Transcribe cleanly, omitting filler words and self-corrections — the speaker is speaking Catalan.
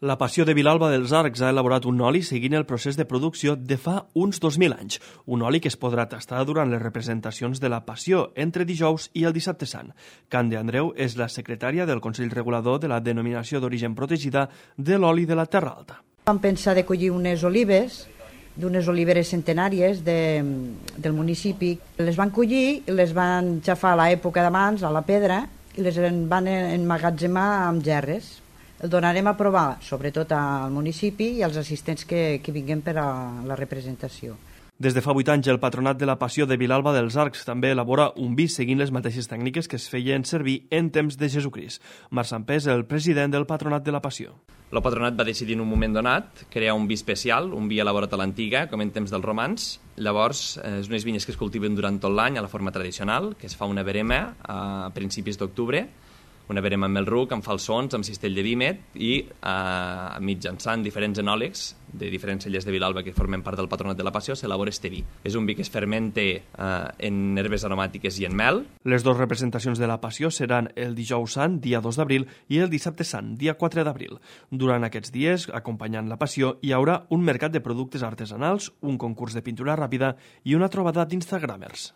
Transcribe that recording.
La Passió de Vilalba dels Arcs ha elaborat un oli seguint el procés de producció de fa uns 2.000 anys. Un oli que es podrà tastar durant les representacions de la Passió entre dijous i el dissabte sant. Cande Andreu és la secretària del Consell Regulador de la Denominació d'Origen Protegida de l'oli de la Terra Alta. Vam pensar de collir unes olives, d'unes oliveres centenàries del municipi. Les van collir i les van xafar a l'època d'abans, a la pedra, i les van emmagatzemar amb gerres. El donarem a provar, sobretot al municipi i als assistents que vinguin per a la representació. Des de fa 8 anys, el Patronat de la Passió de Vilalba dels Arcs també elabora un vi seguint les mateixes tècniques que es feien servir en temps de Jesucrist. Marc Sampé és el president del Patronat de la Passió. El Patronat va decidir en un moment donat crear un vi especial, un vi elaborat a l'antiga, com en temps dels romans. Llavors, és unes vinyes que es cultiven durant tot l'any a la forma tradicional, que es fa una verema a principis d'octubre, una verema amb mel ruc, amb falsons, amb cistell de vímet i mitjançant diferents enòlegs de diferents cellers de Vilalba que formen part del Patronat de la Passió s'elabora este vi. És un vi que es fermenta en herbes aromàtiques i en mel. Les dues representacions de la Passió seran el dijous sant, dia 2 d'abril, i el dissabte sant, dia 4 d'abril. Durant aquests dies, acompanyant la Passió, hi haurà un mercat de productes artesanals, un concurs de pintura ràpida i una trobada d'instagramers.